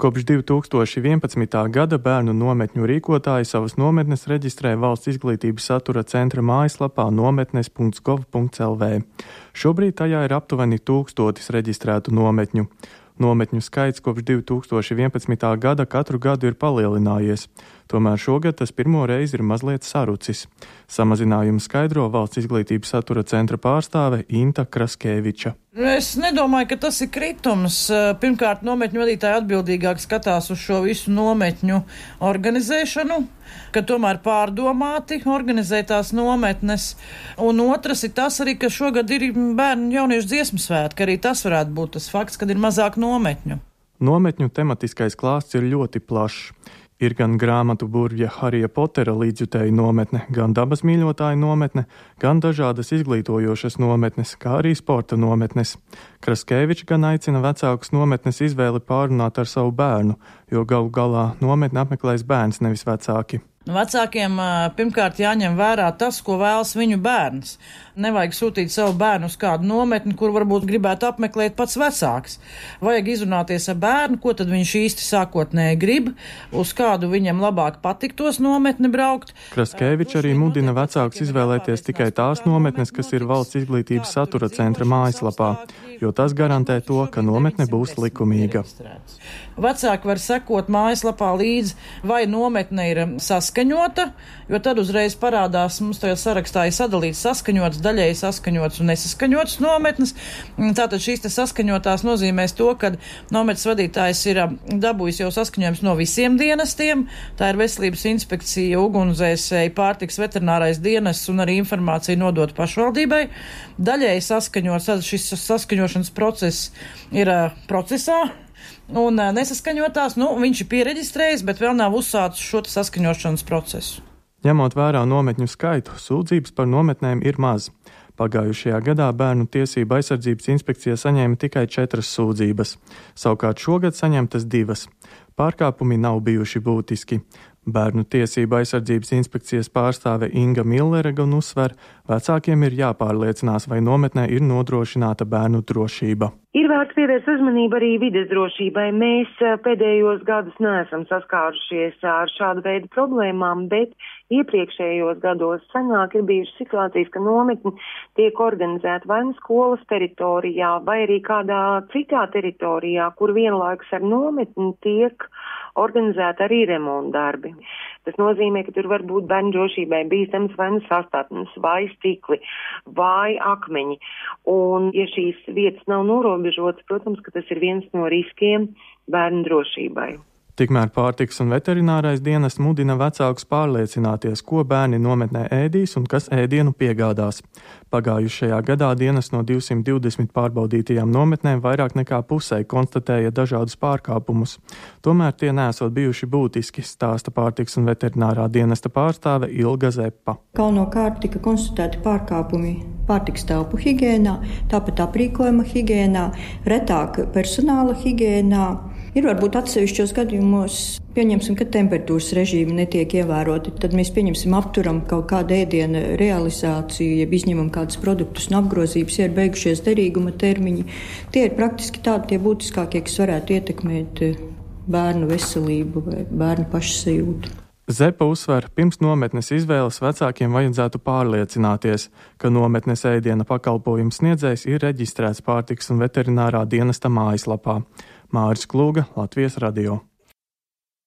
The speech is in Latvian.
Kopš 2011. gada bērnu nometņu rīkotāji savas nometnes reģistrē Valsts izglītības satura centra mājaslapā nometnes.gov.lv. Šobrīd tajā ir aptuveni 1000 reģistrētu nometņu. Nometņu skaits kopš 2011. gada katru gadu ir palielinājies, tomēr šogad tas pirmo reizi ir mazliet sarucis. Samazinājumu skaidro Valsts izglītības satura centra pārstāve Inta Kraskeviča. Es nedomāju, ka tas ir kritums. Pirmkārt, nometņu vadītāji atbildīgāk skatās uz šo visu nometņu organizēšanu, ka tomēr pārdomāti organizē tās nometnes. Un otrs ir tas arī, ka šogad ir bērnu jauniešu dziesmu svētki. Arī tas varētu būt tas fakts, kad ir mazāk nometņu. Nometņu tematiskais klāsts ir ļoti plašs. Ir gan grāmatu burvja Harija Potera līdzjutēju nometne, gan dabas mīļotāju nometne, gan dažādas izglītojošas nometnes, kā arī sporta nometnes. Kraskevičs gan aicina vecākus nometnes izvēli pārunāt ar savu bērnu, jo galu galā nometni apmeklēs bērns, nevis vecāki. Vecākiem pirmkārt jāņem vērā tas, ko vēlas viņu bērns. Nevajag sūtīt savu bērnu uz kādu nometni, kur varbūt gribētu apmeklēt pats vecāks. Vajag izrunāties ar bērnu, ko tad viņš īsti sākotnēji grib, uz kādu viņam labāk patiktos nometni braukt. Kraskevičs arī mudina vecākus izvēlēties tikai tās nometnes, kas ir Valsts izglītības satura centra mājaslapā, jo tas garantē to, ka nometne būs likumīga. Vecāki var sekot mājaslapā līdzi, vai nometne ir saskaņota, jo tad uzreiz parādās, mums tajā sarakstā ir sadalīts saskaņots, daļēji saskaņots un nesaskaņots nometnes. Tātad šīs te saskaņotās nozīmēs to, ka nometnes vadītājs ir dabūjis jau saskaņojums no visiem dienestiem. Tā ir veselības inspekcija, ugunsdzēsēji, pārtiks veterinārais dienests un arī informācija nodot pašvaldībai. Daļēji saskaņots, tad šis saskaņošanas process ir procesā. Un nesaskaņotās, viņš ir piereģistrējis, bet vēl nav uzsācis šo saskaņošanas procesu. Ņemot vērā nometņu skaitu, sūdzības par nometnēm ir maz. Pagājušajā gadā Bērnu tiesību aizsardzības inspekcija saņēma tikai 4 sūdzības. Savukārt šogad saņemtas 2. Pārkāpumi nav bijuši būtiski. Bērnu tiesību aizsardzības inspekcijas pārstāve Inga Millere gan uzsver, vecākiem ir jāpārliecinās, vai nometnē ir nodrošināta bērnu drošība. Ir vērts pievērst uzmanību arī vides drošībai. Mēs pēdējos gadus neesam saskārušies ar šādu veidu problēmām, bet iepriekšējos gados senāk ir bijušas situācijas, ka nometni tiek organizēta vai nu skolas teritorijā, vai arī kādā citā teritorijā, kur vienlaikus ar nometni tiek organizēta arī remontdarbi. Tas nozīmē, ka tur var būt bērnu drošībai bīstams vai nu sastātnes, vai stikli, vai akmeņi. Un, ja šīs vietas nav norobežotas, protams, ka tas ir viens no riskiem bērnu drošībai. Tikmēr pārtiks un veterinārais dienests mudina vecākus pārliecināties, ko bērni nometnē ēdīs un kas ēdienu piegādās. Pagājušajā gadā dienests no 220 pārbaudītajām nometnēm vairāk nekā pusē konstatēja dažādus pārkāpumus. Tomēr tie nesot bijuši būtiski, stāsta pārtiks un veterinārā dienesta pārstāve Ilga Zeppa. Galvenokārt tika konstatēti pārkāpumi pārtiks telpu higiēnā, tāpat aprīkojuma higiēnā, retāk personāla higiēnā. Ir varbūt atsevišķos gadījumos, pieņemsim, ka temperatūras režīmi netiek ievēroti, tad mēs apturam kaut kādu ēdienu realizāciju, jeb izņemam kādus produktus no apgrozības, ja ir beigušies derīguma termiņi. Tie ir praktiski tādi tie būtiskākie, kas varētu ietekmēt bērnu veselību vai bērnu pašsajūtu. Zepa uzsver, pirms nometnes izvēles vecākiem vajadzētu pārliecināties, ka nometnes ēdiena pakalpojums sniedzējs ir reģistrēts pārtiks un veterinārā dienesta mājaslapā. Māris Klūga, Latvijas radio.